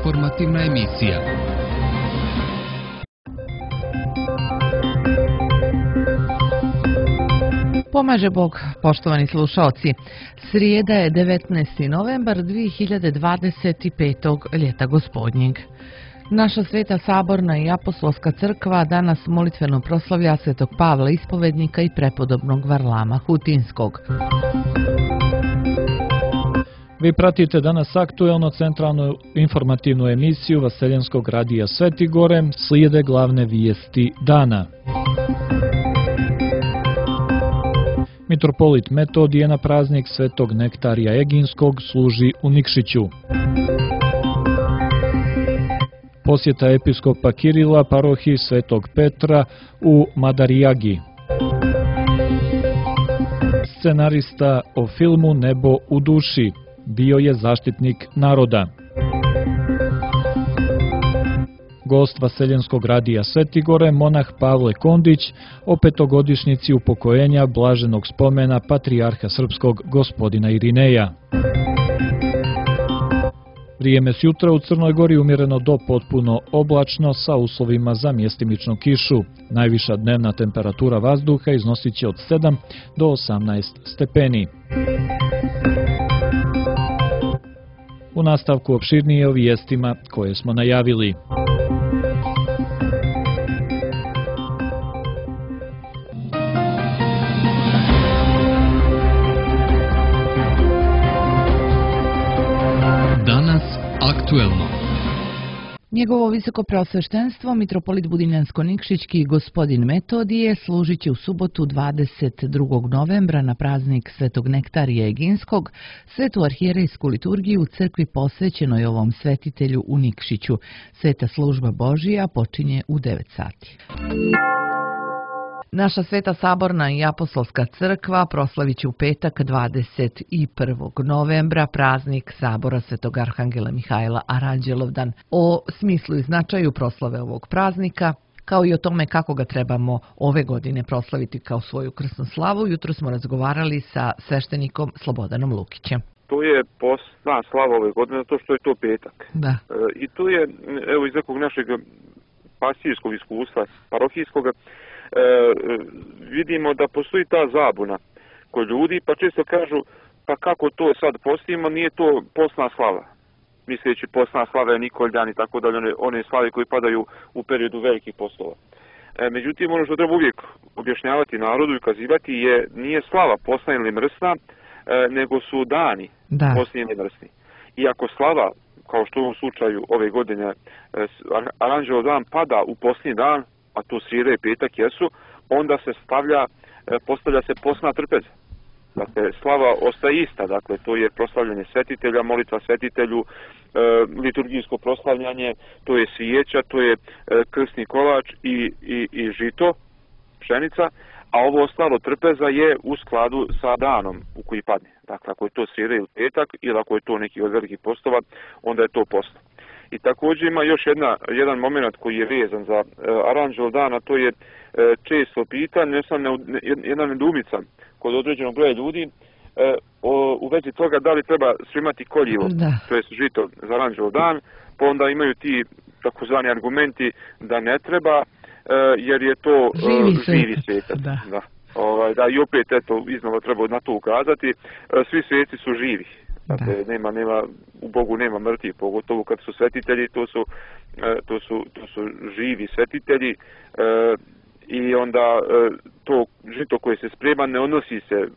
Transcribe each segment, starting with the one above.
informativna emisija. Pomaže Bog, poštovani slušaoci. Srijeda je 19. novembar 2025. ljeta gospodnjeg. Naša Sveta Saborna i Apostolska crkva danas molitveno proslavlja Svetog Pavla Ispovednika i prepodobnog Varlama Hutinskog. Vi pratite danas aktuelno centralnu informativnu emisiju Vaseljenskog radija Svetigore, slijede glavne vijesti dana. Mitropolit Metodije na praznik Svetog Nektarija Eginskog služi u Nikšiću. Posjeta episkopa Kirila parohiji Svetog Petra u Madarijagi. Scenarista o filmu Nebo u duši bio je zaštitnik naroda. Gost Vaseljenskog radija Svetigore, monah Pavle Kondić, o petogodišnjici upokojenja blaženog spomena patrijarha srpskog gospodina Irineja. Vrijeme s jutra u Crnoj Gori umjereno do potpuno oblačno sa uslovima za mjestimičnu kišu. Najviša dnevna temperatura vazduha iznosit će od 7 do 18 stepeni. U nastavku opširnije o vijestima koje smo najavili. Danas aktuelno. Njegovo visoko preosveštenstvo, mitropolit Budinjansko-Nikšićki gospodin Metodije, služit će u subotu 22. novembra na praznik Svetog Nektarija Eginskog, svetu arhijerejsku liturgiju u crkvi posvećenoj ovom svetitelju u Nikšiću. Sveta služba Božija počinje u 9 sati. Naša Sveta Saborna i Apostolska crkva proslavit će u petak 21. novembra praznik Sabora Svetog Arhangela Mihajla Aranđelovdan. O smislu i značaju proslave ovog praznika, kao i o tome kako ga trebamo ove godine proslaviti kao svoju krsnu slavu, jutro smo razgovarali sa sveštenikom Slobodanom Lukićem. To je posna slava ove godine, zato što je to petak. Da. I to je, evo, iz nekog našeg pastirskog iskustva, parohijskog, vidimo da postoji ta zabuna kod ljudi, pa često kažu, pa kako to sad postimo, nije to postna slava. Misleći postna slava je Nikoljan i tako dalje, one slave koje padaju u periodu velikih postova. Međutim, ono što treba uvijek objašnjavati narodu i ukazivati nije slava postna ili mrsna, nego su dani postni ili mrsni. I ako slava, kao što u ovom slučaju ove godine, Aranđelov dan pada u postni dan, a to srijeda i petak jesu, onda se postavlja se postna trpeza. Dakle, slava ostaje ista, dakle, to je proslavljanje svetitelja, molitva svetitelju, liturgijsko proslavljanje, to je svijeća, to je krsni kolač i žito, pšenica, a ovo ostalo trpeza je u skladu sa danom u koji padne. Dakle, ako je to srijeda ili petak, ili ako je to neki od velikih postova, onda je to posto. I također ima još jedan moment koji je vezan za Aranđelov dan, a to je često pitanje, jedna nedoumica kod određenog broja ljudi u vezi toga da li treba svimati koljivo, to je žito za Aranđelov dan, pa onda imaju ti takozvani argumenti da ne treba, jer je to živi svetac. Da, i opet iznova treba na to ukazati, svi sveci su živi. Dakle, nema, u Bogu nema mrtvih, pogotovo kad su svetitelji, to su živi svetitelji i onda to žito koje se sprema ne odnosi se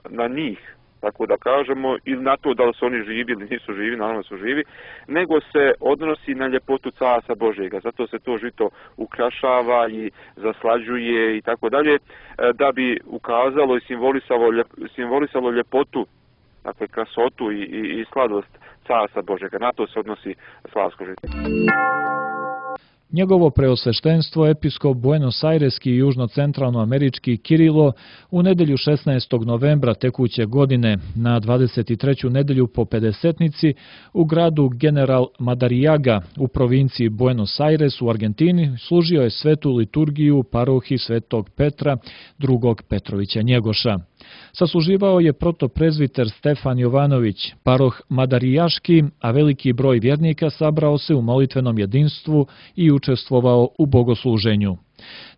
na njih, tako da kažemo, ili na to da li su oni živi ili nisu živi, naravno su živi, nego se odnosi na ljepotu Carstva Božjega. Zato se to žito ukrašava i zaslađuje i tako dalje, da bi ukazalo i simbolisalo ljepotu, dakle krasotu i sladost Carstva Božjega. Na to se odnosi slavsko žito. Njegovo preosveštenstvo episkop Buenos Aireski i južno-centralnoamerički Kirilo u nedelju 16. novembra tekuće godine na 23. nedelju po pedesetnici u gradu General Madariaga u provinciji Buenos Aires u Argentini služio je svetu liturgiju u parohiji Svetog Petra II. Petrovića Njegoša. Sasluživao je protoprezviter Stefan Jovanović, paroh Madarijaški, a veliki broj vjernika sabrao se u molitvenom jedinstvu i učestvovao u bogosluženju.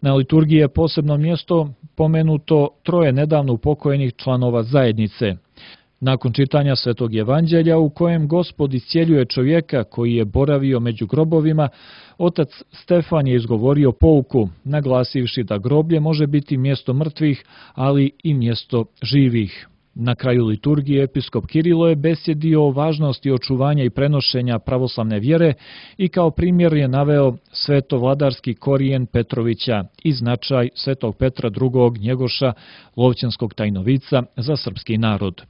Na liturgiji je posebno mjesto pomenuto troje nedavno upokojenih članova zajednice. Nakon čitanja Svetog evanđelja u kojem Gospod iscijeljuje čovjeka koji je boravio među grobovima, otac Stefan je izgovorio pouku, naglasivši da groblje može biti mjesto mrtvih, ali i mjesto živih. Na kraju liturgije episkop Kirilo je besjedio o važnosti očuvanja i prenošenja pravoslavne vjere i kao primjer je naveo svetovladarski korijen Petrovića i značaj Svetog Petra II. Njegoša, lovćanskog tajnovica za srpski narod.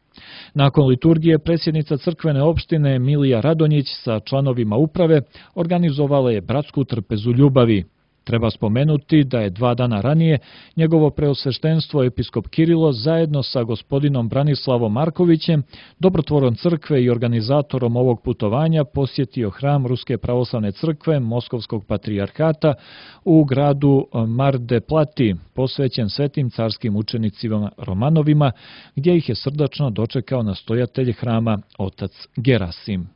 Nakon liturgije predsjednica crkvene opštine Milija Radonjić sa članovima uprave organizovala je bratsku trpezu ljubavi. Treba spomenuti da je 2 dana ranije njegovo preosveštenstvo episkop Kirilo zajedno sa gospodinom Branislavom Markovićem, dobrotvorom crkve i organizatorom ovog putovanja, posjetio hram Ruske pravoslavne crkve Moskovskog patrijarhata u gradu Mar de Plati, posvećen svetim carskim učenicima Romanovima, gdje ih je srdačno dočekao nastojatelj hrama otac Gerasim.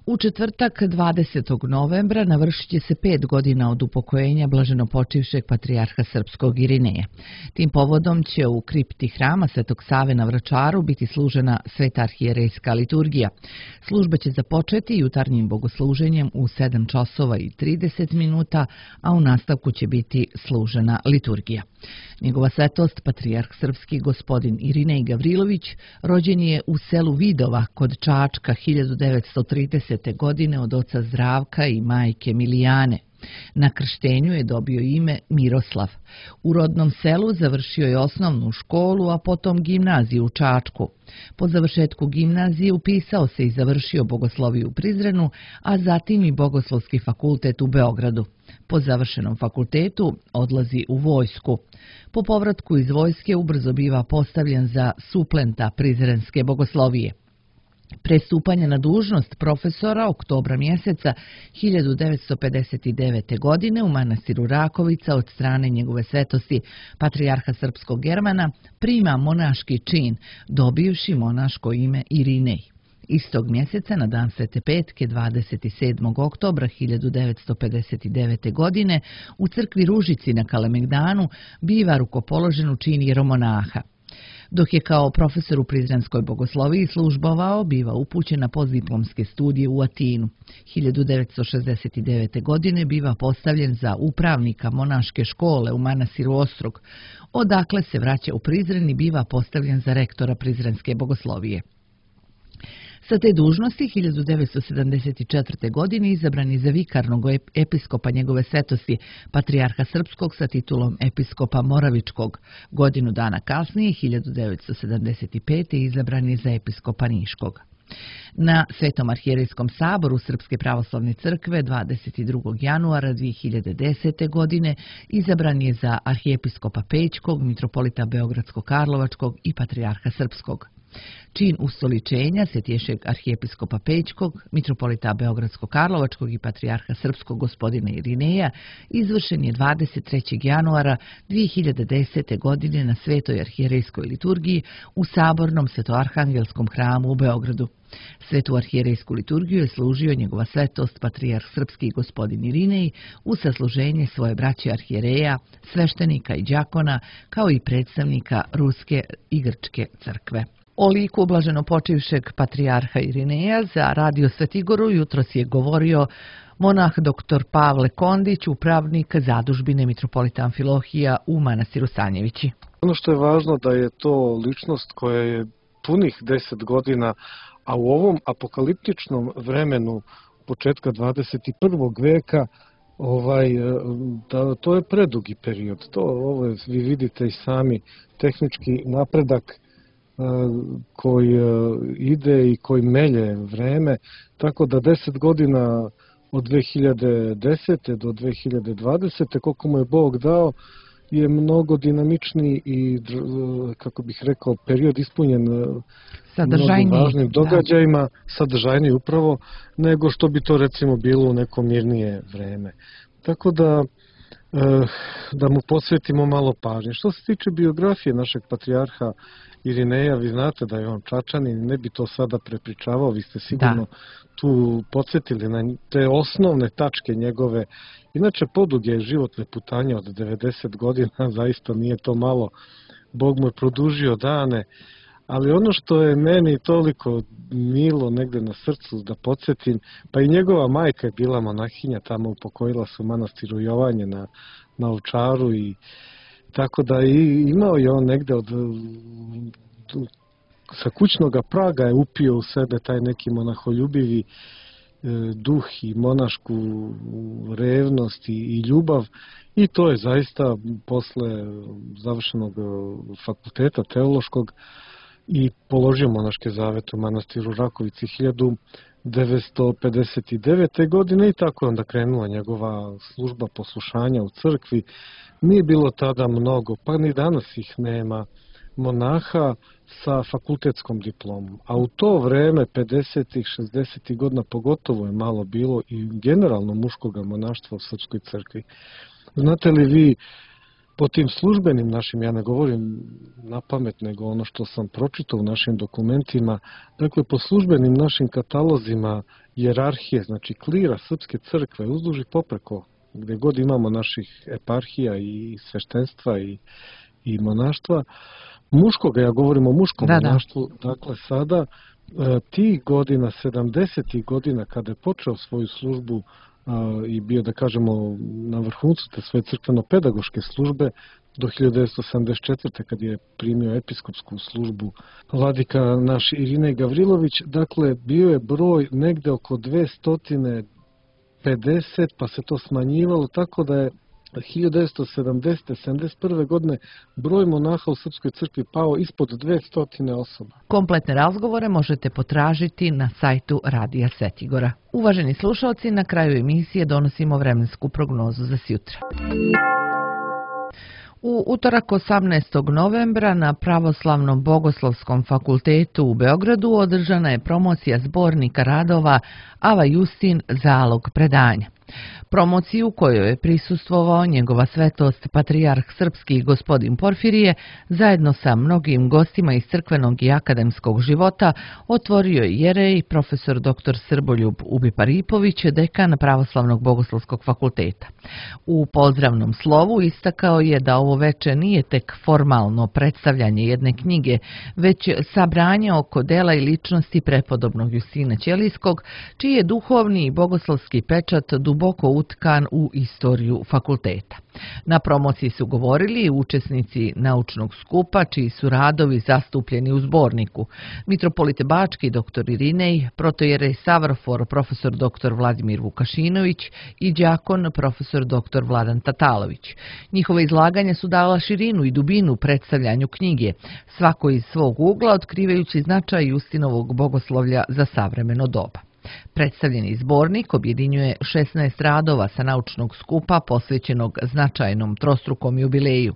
U četvrtak 20. novembra navršit će se 5 godina od upokojenja blaženopočivšeg patrijarha srpskog Irineja. Tim povodom će u kripti hrama Svetog Save na Vračaru biti služena sveta arhijerejska liturgija. Služba će započeti jutarnjim bogosluženjem u 7 časova i 30 minuta, a u nastavku će biti služena liturgija. Njegova svetost, patrijarh srpski gospodin Irinej Gavrilović, rođen je u selu Vidova kod Čačka 1930. godine od oca Zdravka i majke Milijane. Na krštenju je dobio ime Miroslav. U rodnom selu završio je osnovnu školu, a potom gimnaziju u Čačku. Po završetku gimnazije upisao se i završio bogosloviju u Prizrenu, a zatim i bogoslovski fakultet u Beogradu. Po završenom fakultetu odlazi u vojsku. Po povratku iz vojske ubrzo biva postavljen za suplenta prizrenske bogoslovije. Pre stupanja na dužnost profesora oktobra mjeseca 1959. godine u manastiru Rakovica od strane njegove svetosti patrijarha srpskog Germana prima monaški čin, dobivši monaško ime Irinej. Istog mjeseca na dan Svete Petke 27. oktobra 1959. godine u crkvi Ružici na Kalemegdanu biva rukopoložen u čin jeromonaha. Dok je kao profesor u prizrenskoj bogosloviji službovao, biva upućen na postdiplomske studije u Atinu. 1969. godine biva postavljen za upravnika monaške škole u manastiru Ostrog, odakle se vraća u Prizren i biva postavljen za rektora prizrenske bogoslovije. Sa te dužnosti 1974. godine izabran je za vikarnog episkopa njegove svetosti, patrijarha srpskog sa titulom episkopa Moravičkog. Godinu dana kasnije, 1975. izabran je za episkopa Niškog. Na Svetom arhijerejskom saboru Srpske pravoslavne crkve 22. januara 2010. godine izabran je za arhijepiskopa Pećkog, mitropolita Beogradsko-Karlovačkog i patrijarha srpskog. Čin ustoličenja Svetješeg arhijepiskopa Pećkog, mitropolita Beogradsko-Karlovačkog i patrijarha srpskog gospodina Irineja izvršen je 23. januara 2010. godine na Svetoj arhijerejskoj liturgiji u Sabornom svetoarhangelskom hramu u Beogradu. Svetu arhijerejsku liturgiju je služio njegova svetost patrijarh srpski gospodin Irinej u sasluženje svoje braće arhijereja, sveštenika i đakona, kao i predstavnika Ruske i Grčke crkve. O liku blaženopočivšeg patrijarha Irineja za Radio Svetigoru jutros je govorio monah dr. Pavle Kondić, upravnik zadužbine mitropolita Amfilohija u manastiru Stanjevići. Ono što je važno da je to ličnost koja je punih 10 godina, a u ovom apokaliptičnom vremenu početka 21. veka to je predugi period. Ovo vi vidite i sami tehnički napredak koji ide i koji melje vreme, tako da 10 godina od 2010. do 2020. koliko mu je Bog dao, je mnogo dinamičniji i, kako bih rekao, period ispunjen mnogim važnim događajima, sadržajniji upravo, nego što bi to recimo bilo u neko mirnije vreme. Tako da mu posvetimo malo pažnje. Što se tiče biografije našeg patrijarha Irineja, vi znate da je on Čačanin, ne bi to sada prepričavao, vi ste sigurno tu podsjetili na te osnovne tačke njegove. Inače, poduge životne putanje od 90 godina, zaista nije to malo, Bog mu je produžio dane, ali ono što je meni toliko milo negde na srcu da podsjetim, pa i njegova majka je bila monahinja, tamo upokojila se u manastiru Jovanje na Ovčaru, i tako da imao je on negde sa kućnog praga je upio u sebe taj neki monaholjubivi duh i monašku revnost i ljubav, i to je zaista posle završenog fakulteta teološkog i položio monaške zavete u manastiru Rakovici 1959. godine, i tako je onda krenula njegova služba poslušanja u crkvi. Nije bilo tada mnogo, pa ni danas ih nema, monaha sa fakultetskom diplomom. A u to vreme, 50-ih, 60-ih godina, pogotovo je malo bilo i generalno muškoga monaštva u Srpskoj crkvi. Znate li vi, po tim službenim našim, ja ne govorim na pamet, nego ono što sam pročitao u našim dokumentima, dakle, po službenim našim katalozima hijerarhije, znači klira Srpske crkve, uzduž i popreko, gde god imamo naših eparhija i sveštenstva i monaštva, muškoga, ja govorim o muškom monaštvu, dakle sada, tih godina, 70-ih godina, kada je počeo svoju službu i bio, da kažemo, na vrhuncu te svoje crkveno-pedagoške službe, do 1974. kad je primio episkopsku službu vladika naš Irinej Gavrilović, dakle, bio je broj negde oko 250, pa se to smanjivalo, tako da je 1970. 71. godine broj monaha u Srpskoj crkvi pao ispod 200 osoba. Kompletne razgovore možete potražiti na sajtu Radija Svetigora. Uvaženi slušalci, na kraju emisije donosimo vremensku prognozu za sjutra. U utorak 18. novembra na Pravoslavnom bogoslovskom fakultetu u Beogradu održana je promocija zbornika radova Ava Justin Zalog predanja. Promociju kojoj je prisustvovao njegova svetost patrijarh srpski gospodin Porfirije, zajedno sa mnogim gostima iz crkvenog i akademskog života, otvorio je jerej profesor dr. Srboljub Ubiparipović, dekan Pravoslavnog bogoslovskog fakulteta. U pozdravnom slovu istakao je da ovo veče nije tek formalno predstavljanje jedne knjige, već sabranje oko dela i ličnosti prepodobnog Justina Ćelijskog, čiji je duhovni i bogoslovski pečat duboko utkan u istoriju fakulteta. Na promociji su govorili učesnici naučnog skupa, čiji su radovi zastupljeni u zborniku: mitropolite Bački dr. Irinej, protojerej Savrofor profesor dr. Vladimir Vukašinović i đakon profesor dr. Vladan Tatalović. Njihova izlaganja su dala širinu i dubinu predstavljanju knjige, svako iz svog ugla otkrivajući značaj Justinovog bogoslovlja za savremeno doba. Predstavljeni zbornik objedinjuje 16 radova sa naučnog skupa posvećenog značajnom trostrukom jubileju: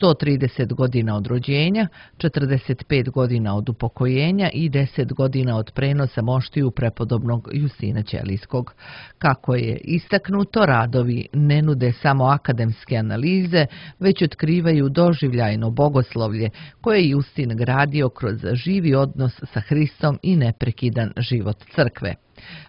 130 godina od rođenja, 45 godina od upokojenja i 10 godina od prenosa moštiju prepodobnog Justina Ćelijskog. Kako je istaknuto, radovi ne nude samo akademske analize, već otkrivaju doživljajno bogoslovlje koje je Justin gradio kroz živi odnos sa Hristom i neprekidan život crkve.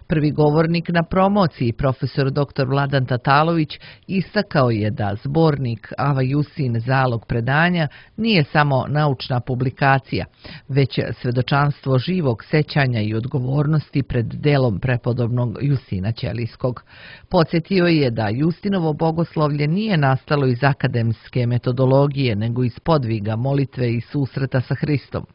Prvi govornik na promociji, profesor dr. Vladan Tatalović, istakao je da zbornik Ava Justin Zalog predanja nije samo naučna publikacija, već svedočanstvo živog sećanja i odgovornosti pred delom prepodobnog Justina Ćelijskog. Podsjetio je da Justinovo bogoslovlje nije nastalo iz akademske metodologije, nego iz podviga, molitve i susreta sa Hristom.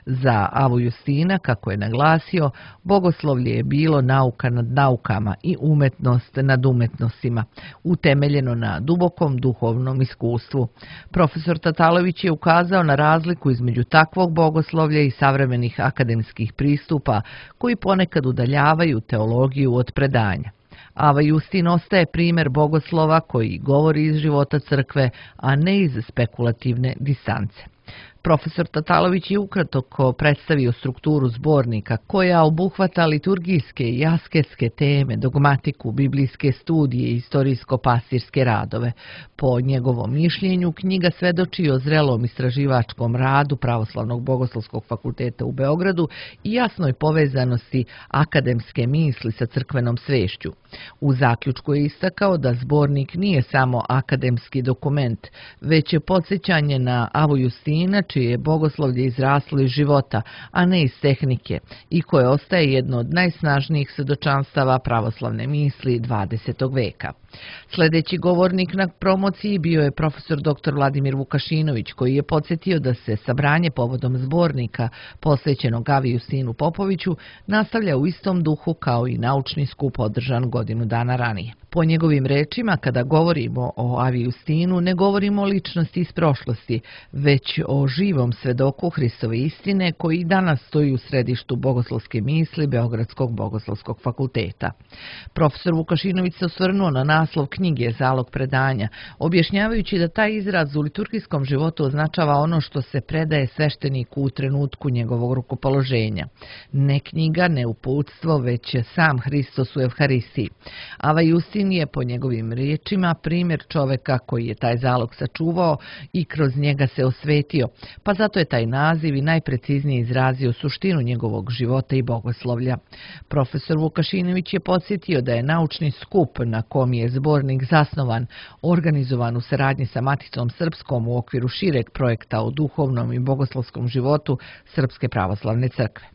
Za Avu Justina, kako je naglasio, bogoslovlje je bilo nauka nad naukama i umetnost nad umetnostima, utemeljeno na dubokom duhovnom iskustvu. Profesor Tatalović je ukazao na razliku između takvog bogoslovlja i savremenih akademskih pristupa koji ponekad udaljavaju teologiju od predanja. Ava Justin ostaje primjer bogoslova koji govori iz života crkve, a ne iz spekulativne distance. Profesor Tatalović je ukratko predstavio strukturu zbornika koja obuhvata liturgijske i asketske teme, dogmatiku, biblijske studije i istorijsko-pastirske radove. Po njegovom mišljenju, knjiga svedoči o zrelom istraživačkom radu Pravoslavnog bogoslovskog fakulteta u Beogradu i jasnoj povezanosti akademske misli sa crkvenom svešću. U zaključku je istakao da zbornik nije samo akademski dokument, već je podsjećanje na Avu Justina, čije je bogoslovlje izraslo iz života, a ne iz tehnike, i koje ostaje jedno od najsnažnijih svedočanstava pravoslavne misli 20. veka. Sljedeći govornik na promociji bio je profesor dr. Vladimir Vukašinović, koji je podsjetio da se sabranje povodom zbornika posvećenog Avi Justinu Popoviću nastavlja u istom duhu kao i naučni skup održan godinu dana ranije. Po njegovim rečima, kada govorimo o Avi Justinu, ne govorimo o ličnosti iz prošlosti, već o živom svedoku Hristove istine koji i danas stoji u središtu bogoslovske misli Beogradskog bogoslovskog fakulteta. Profesor Vukašinović se osvrnuo na naslov knjige Zalog predanja, objašnjavajući da taj izraz u liturgijskom životu označava ono što se predaje svešteniku u trenutku njegovog rukopoloženja. Ne knjiga, ne uputstvo, već sam Hristos u Evharistiji. Ava Justin je, po njegovim riječima, primjer čoveka koji je taj zalog sačuvao i kroz njega se osvetio, pa zato je taj naziv i najpreciznije izrazio suštinu njegovog života i bogoslovlja. Profesor Vukašinović je podsjetio da je naučni skup na kom je zbornik zasnovan, organizovan u saradnji sa Maticom Srpskom u okviru šireg projekta o duhovnom i bogoslovskom životu Srpske pravoslavne crkve.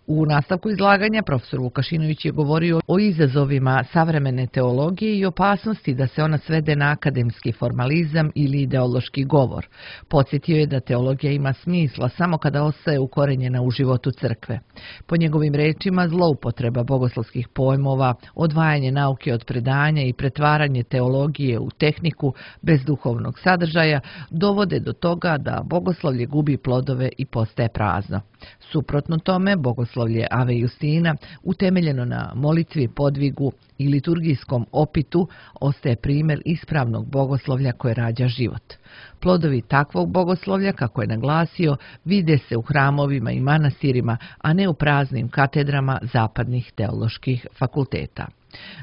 U nastavku izlaganja profesor Vukašinović je govorio o izazovima savremene teologije i opasnosti da se ona svede na akademski formalizam ili ideološki govor. Podsjetio je da teologija ima smisla samo kada ostaje ukorenjena u životu crkve. Po njegovim rečima, zloupotreba bogoslovskih pojmova, odvajanje nauke od predanja i pretvaranje teologije u tehniku bez duhovnog sadržaja dovode do toga da bogoslovlje gubi plodove i postaje prazno. Suprotno tome, bogoslovlje Ave Justina, utemeljeno na molitvi, podvigu i liturgijskom opitu, ostaje primjer ispravnog bogoslovlja koje rađa život. Plodovi takvog bogoslovlja, kako je naglasio, vide se u hramovima i manastirima, a ne u praznim katedrama zapadnih teoloških fakulteta.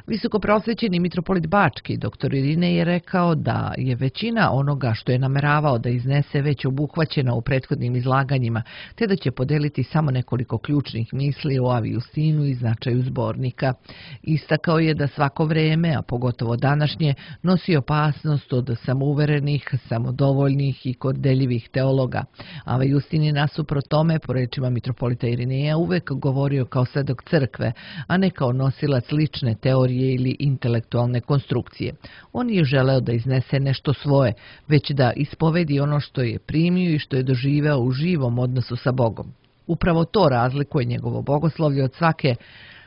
Visokoprosvećeni mitropolit Bački, dr. Irinej, je rekao da je većina onoga što je nameravao da iznese već obuhvaćena u prethodnim izlaganjima, te da će podeliti samo nekoliko ključnih misli o Avi Justinu i značaju zbornika. Istakao je da svako vreme, a pogotovo današnje, nosi opasnost od samouverenih, samodovoljnih i kordeljivih teologa. Ava Justin je nasuprot tome, po rečima mitropolita Irineja, uvek govorio kao svedok crkve, a ne kao nosilac lične teorije ili intelektualne konstrukcije. On je želeo da iznese nešto svoje, već da ispovedi ono što je primio i što je doživeo u živom odnosu sa Bogom. Upravo to razlikuje njegovo bogoslovlje od svake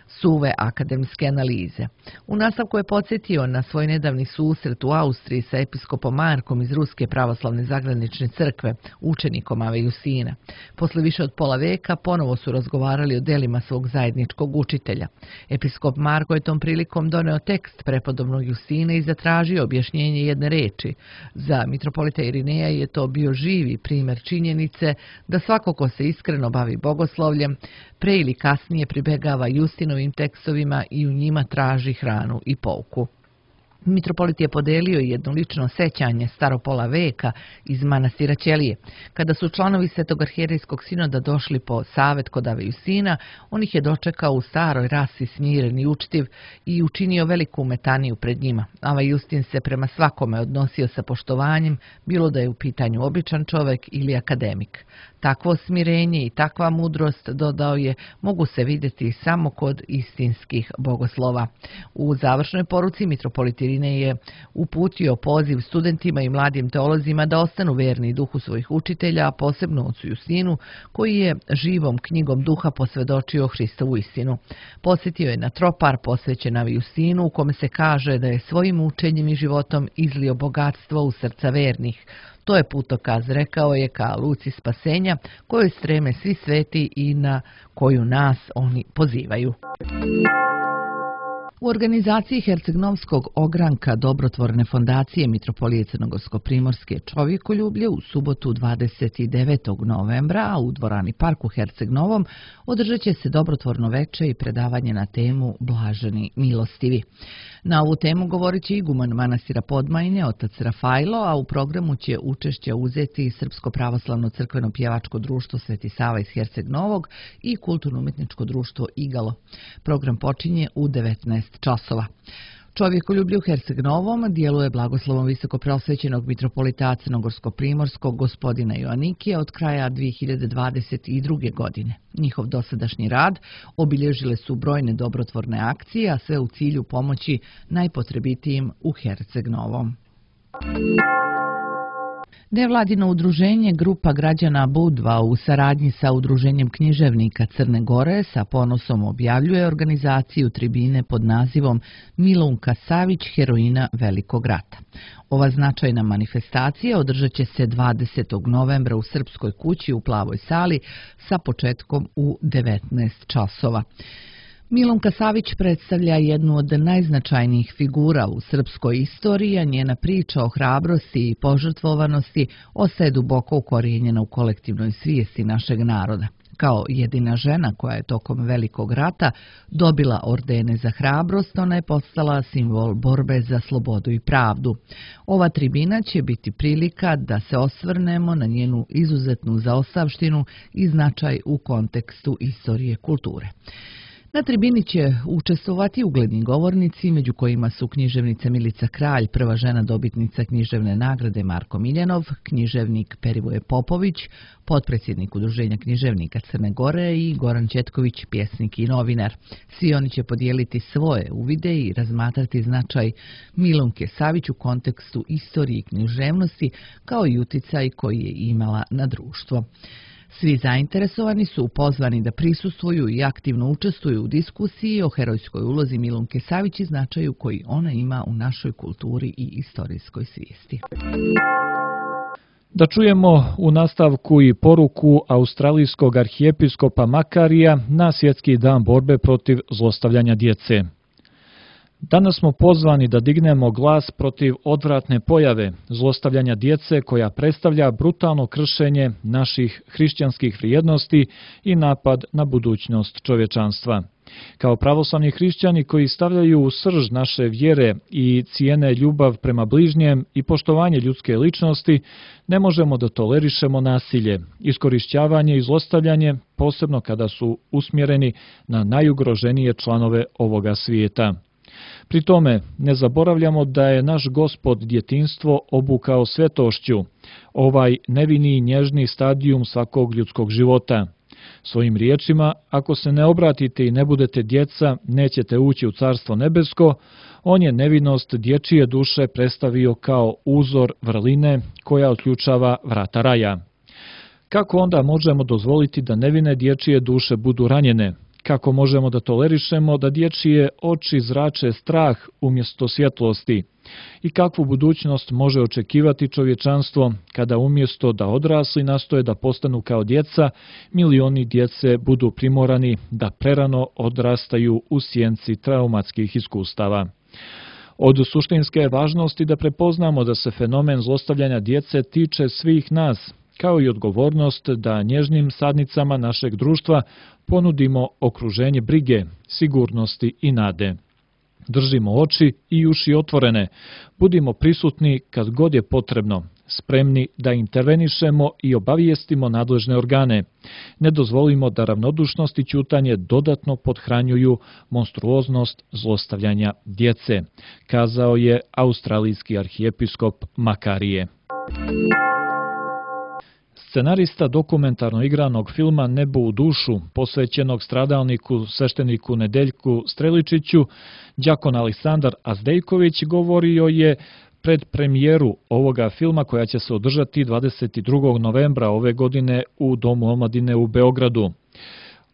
suve akademske analize. U nastavku je podsjetio na svoj nedavni susret u Austriji sa episkopom Markom iz Ruske pravoslavne zagranične crkve, učenikom Ave Justina. Posle više od pola veka ponovo su razgovarali o delima svog zajedničkog učitelja. Episkop Marko je tom prilikom doneo tekst prepodobnog Justina i zatražio objašnjenje jedne reči. Za mitropolita Irineja je to bio živi primjer činjenice da svako ko se iskreno bavi bogoslovljem, pre ili kasnije pribegava Justinovim tekstovima i u njima traži hranu i pouku. Mitropolit je podelio jedno lično sećanje staropola veka iz manastira Ćelije. Kada su članovi Svetog arhijerejskog sinoda došli po savet kod Ave Justina, on ih je dočekao u staroj rasi smiren i učtiv i učinio veliku metaniju pred njima. Ava Justin se prema svakome odnosio sa poštovanjem, bilo da je u pitanju običan čovek ili akademik. Takvo smirenje i takva mudrost, dodao je, mogu se vidjeti samo kod istinskih bogoslova. U završnoj poruci mitropolit Irinej je uputio poziv studentima i mladim teolozima da ostanu verni duhu svojih učitelja, a posebno ocu Justinu, koji je živom knjigom duha posvedočio Hristovu istinu. Podsjetio je na tropar posvećen Avi Justinu, u kome se kaže da je svojim učenjem i životom izlio bogatstvo u srca vernih. To je putokaz, rekao je, ka luci spasenja, kojoj streme svi sveti i na koju nas oni pozivaju. U organizaciji Herceg-Novskog ogranka dobrotvorne fondacije Mitropolije Crnogorsko-Primorske čovjekoljublje u subotu 29. novembra, a u dvorani Park u Herceg-Novom održat će se dobrotvorno veče i predavanje na temu Blaženi milostivi. Na ovu temu govorit će iguman manastira Podmajine, otac Rafajlo, a u programu će učešće uzeti Srpsko pravoslavno crkveno pjevačko društvo Sveti Sava iz Herceg-Novog i kulturno-umjetničko društvo Igalo. Program počinje u 19 časova. Čovjekoljublje u Herceg-Novom djeluje blagoslovom visokopreosvećenog mitropolita Crnogorsko-Primorskog gospodina Joanikija od kraja 2022. godine. Njihov dosadašnji rad obilježile su brojne dobrotvorne akcije, a sve u cilju pomoći najpotrebitijim u Herceg-Novom. Nevladino udruženje Grupa građana Budva u saradnji sa Udruženjem književnika Crne Gore sa ponosom objavljuje organizaciju tribine pod nazivom Milunka Savić, heroina Velikog rata. Ova značajna manifestacija održat će se 20. novembra u Srpskoj kući u Plavoj sali sa početkom u 19 časova. Milunka Savić predstavlja jednu od najznačajnijih figura u srpskoj istoriji, a njena priča o hrabrosti i požrtvovanosti ostaje duboko ukorijenjena u kolektivnoj svijesti našeg naroda. Kao jedina žena koja je tokom Velikog rata dobila ordene za hrabrost, ona je postala simbol borbe za slobodu i pravdu. Ova tribina će biti prilika da se osvrnemo na njenu izuzetnu zaostavštinu i značaj u kontekstu istorije kulture. Na tribini će učestvovati ugledni govornici, među kojima su književnica Milica Kralj, prva žena dobitnica književne nagrade Marko Miljanov, književnik Perivoje Popović, potpredsjednik Udruženja književnika Crne Gore i Goran Četković, pjesnik i novinar. Svi oni će podijeliti svoje uvide i razmatrati značaj Milunke Savić u kontekstu istorije i književnosti, kao i uticaj koji je imala na društvo. Svi zainteresovani su pozvani da prisustvuju i aktivno učestvuju u diskusiji o herojskoj ulozi Milunke Savić i značaju koji ona ima u našoj kulturi i istorijskoj svijesti. Da čujemo u nastavku i poruku australijskog arhijepiskopa Makarija na Svjetski dan borbe protiv zlostavljanja djece. Danas smo pozvani da dignemo glas protiv odvratne pojave zlostavljanja djece koja predstavlja brutalno kršenje naših hrišćanskih vrijednosti i napad na budućnost čovječanstva. Kao pravoslavni hrišćani koji stavljaju u srž naše vjere i cijene ljubav prema bližnjem i poštovanje ljudske ličnosti, ne možemo da tolerišemo nasilje, iskorišćavanje i zlostavljanje, posebno kada su usmjereni na najugroženije članove ovoga svijeta. Pri tome ne zaboravljamo da je naš Gospod djetinjstvo obukao svetošću, ovaj nevini i nježni stadijum svakog ljudskog života. Svojim riječima, ako se ne obratite i ne budete djeca, nećete ući u Carstvo nebesko, on je nevinost dječije duše predstavio kao uzor vrline koja otključava vrata raja. Kako onda možemo dozvoliti da nevine dječije duše budu ranjene? Kako možemo da tolerišemo da dječije oči zrače strah umjesto svjetlosti? I kakvu budućnost može očekivati čovječanstvo kada umjesto da odrasli nastoje da postanu kao djeca, milioni djece budu primorani da prerano odrastaju u sjenci traumatskih iskustava? Od suštinske je važnosti da prepoznamo da se fenomen zlostavljanja djece tiče svih nas, kao i odgovornost da nježnim sadnicama našeg društva ponudimo okruženje brige, sigurnosti i nade. Držimo oči i uši otvorene, budimo prisutni kad god je potrebno, spremni da intervenišemo i obavijestimo nadležne organe. Ne dozvolimo da ravnodušnost i ćutanje dodatno pothranjuju monstruoznost zlostavljanja djece, kazao je australijski arhijepiskop Makarije. Scenarista dokumentarno igranog filma Nebo u dušu, posvećenog stradalniku svešteniku Nedeljku Streličiću, đakon Aleksandar Azdejković govorio je pred premijeru ovoga filma koja će se održati 22. novembra ove godine u Domu omladine u Beogradu.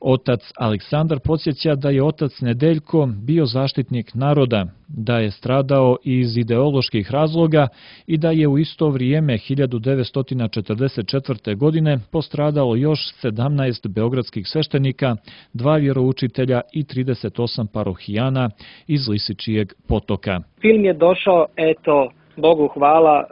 Otac Aleksandar podsjeća da je otac Nedeljko bio zaštitnik naroda, da je stradao iz ideoloških razloga i da je u isto vrijeme 1944. godine postradalo još 17 beogradskih sveštenika, 2 vjeroučitelja i 38 parohijana iz Lisičijeg potoka. Film je došao, Bogu hvala,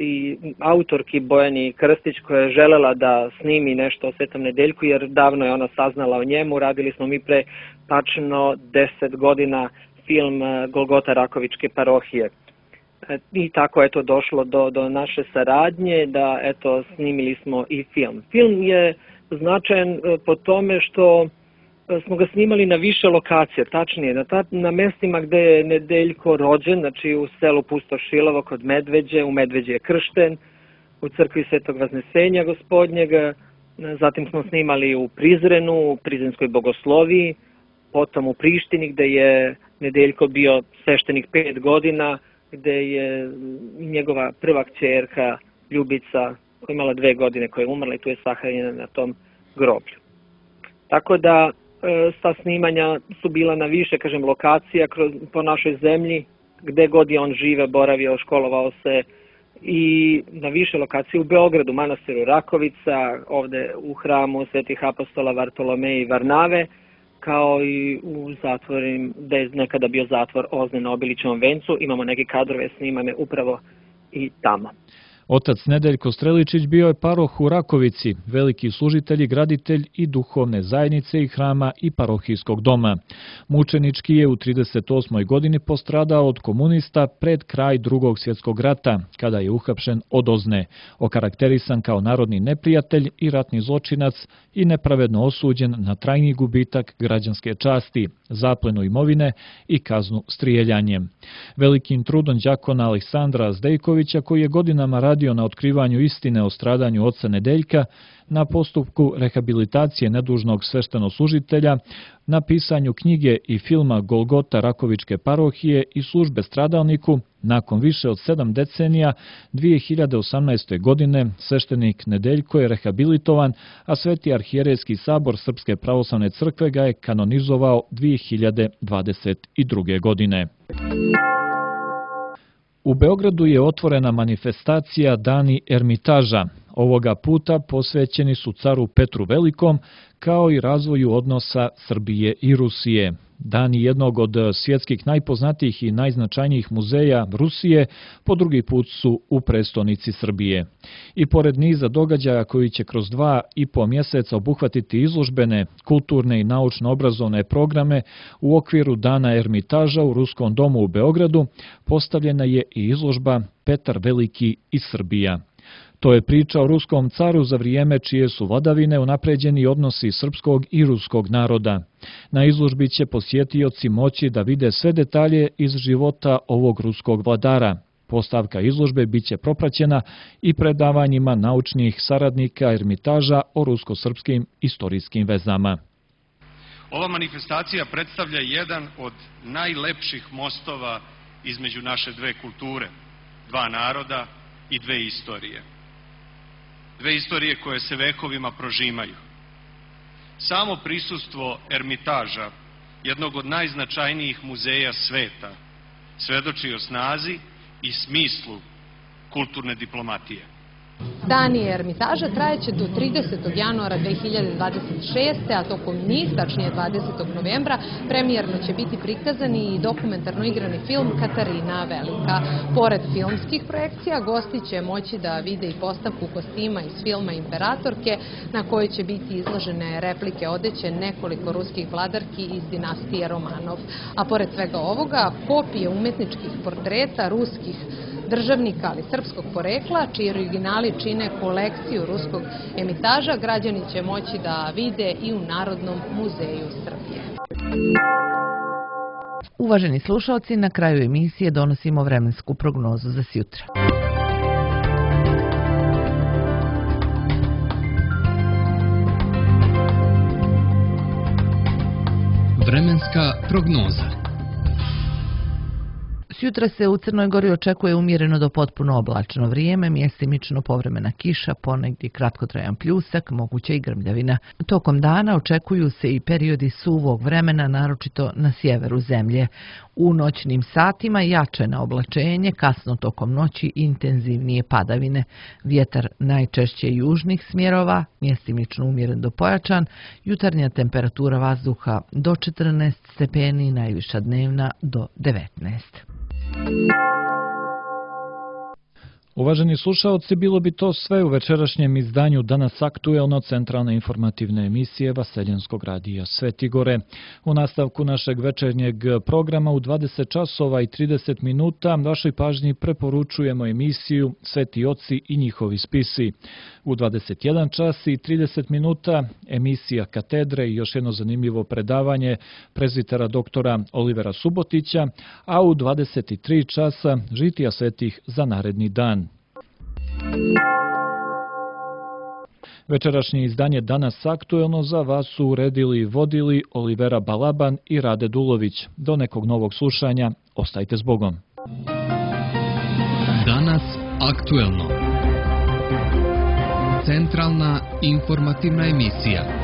i autorki Bojani Krstić koja je želela da snimi nešto o Svetom Nedeljku, jer davno je ona saznala o njemu. Radili smo mi pre tačno 10 godina film Golgota Rakovičke parohije. I tako je to došlo do naše saradnje, da snimili smo i film. Film je značajan po tome što smo ga snimali na više lokacija, tačnije na mestima gde je Nedeljko rođen, znači u selu Pustošilovo kod Medveđe, u Medveđe je kršten, u crkvi Svetog Vaznesenja Gospodnjega, zatim smo snimali u Prizrenu, u Prizrenskoj bogosloviji, potom u Prištini gde je Nedeljko bio sveštenik 5 godina, gde je njegova prva kćerka Ljubica, koja je imala 2 godine, koja je umrla i tu je sahranjena na tom groblju. Tako da sa snimanja su bila na više, lokacija po našoj zemlji, gde god je on žive, boravio, školovao se, i na više lokacije u Beogradu, manastiru Rakovica, ovde u hramu Svetih apostola Vartolomeja i Varnave, kao i u zatvorima, gde je nekada bio zatvor Ozne na Obilićevom vencu. Imamo neke kadrove snimane upravo i tamo. Otac Nedeljko Streličić bio je paroh u Rakovici, veliki služitelj i graditelj i duhovne zajednice i hrama i parohijskog doma. Mučenički je u 38. godini postradao od komunista pred kraj Drugog svjetskog rata, kada je uhapšen od Ozne, okarakterisan kao narodni neprijatelj i ratni zločinac i nepravedno osuđen na trajni gubitak građanske časti, zaplenu imovine i kaznu strijeljanjem. Velikim trudom đakona Aleksandra Zdejkovića, koji je godinama radio na otkrivanju istine o stradanju oca Nedeljka, na postupku rehabilitacije nedužnog sveštenoslужitelja, na pisanju knjige i filma Golgota Rakovičke parohije i službe stradalniku, nakon više od 7 decenija, 2018. godine sveštenik Nedeljko je rehabilitovan, a Sveti arhijerejski sabor Srpske pravoslavne crkve ga je kanonizovao 2022. godine. U Beogradu je otvorena manifestacija Dani Ermitaža. Ovoga puta posvećeni su caru Petru Velikom, kao i razvoju odnosa Srbije i Rusije. Dani jednog od svjetskih najpoznatijih i najznačajnijih muzeja Rusije po drugi put su u prestonici Srbije. I pored niza događaja koji će kroz 2,5 mjeseca obuhvatiti izložbene, kulturne i naučno-obrazovne programe, u okviru Dana Ermitaža u Ruskom domu u Beogradu postavljena je i izložba Petar Veliki i Srbija. To je priča o ruskom caru za vrijeme čije su vladavine unapređeni odnosi srpskog i ruskog naroda. Na izložbi će posjetioci moći da vide sve detalje iz života ovog ruskog vladara. Postavka izložbe biće propraćena i predavanjima naučnih saradnika Ermitaža o rusko-srpskim istorijskim vezama. Ova manifestacija predstavlja jedan od najlepših mostova između naše dve kulture, 2 naroda i 2 istorije. 2 istorije koje se vekovima prožimaju. Samo prisustvo Ermitaža, jednog od najznačajnijih muzeja sveta, svedoči o snazi i smislu kulturne diplomatije. Dani Ermitaža trajeće do 30. januara 2026. a tokom njih, tačnije 20. novembra, premijerno će biti prikazani i dokumentarno igrani film Katarina Velika. Pored filmskih projekcija, gosti će moći da vide i postavku kostima iz filma Imperatorke, na kojoj će biti izložene replike odeće nekoliko ruskih vladarki iz dinastije Romanov. A pored svega ovoga, kopije umetničkih portreta ruskih državnika, ali srpskog porekla, čiji originali čine kolekciju ruskog Ermitaža, građani će moći da vide i u Narodnom muzeju Srbije. Uvaženi slušalci, na kraju emisije donosimo vremensku prognozu za sjutra. Vremenska prognoza. Sutra se u Crnoj Gori očekuje umjereno do potpuno oblačno vrijeme, mjestimično povremena kiša, ponegdje kratkotrajan pljusak, moguća i grmljavina. Tokom dana očekuju se i periodi suvog vremena, naročito na sjeveru zemlje. U noćnim satima jačeno oblačenje, kasno tokom noći intenzivnije padavine. Vjetar najčešće južnih smjerova, mjestimično umjeren do pojačan, jutarnja temperatura vazduha do 14 stepeni, najviša dnevna do 19. Uvaženi slušaoci, bilo bi to sve u večerašnjem izdanju Danas aktuelno centralne informativne emisije Vaseljenskog radija Sveti Gore. U nastavku našeg večernjeg programa u 20 časova i 30 minuta vašoj pažnji preporučujemo emisiju Sveti oci i njihovi spisi. U 21 čas i 30 minuta emisija Katedre i još jedno zanimljivo predavanje prezbitera doktora Olivera Subotića, a u 23 časa žitija svetih za naredni dan. Večerašnje izdanje Danas aktuelno za vas su uredili i vodili Olivera Balaban i Rade Dulović. Do nekog novog slušanja, ostajte s Bogom. Danas aktuelno. Centralna informativna emisija.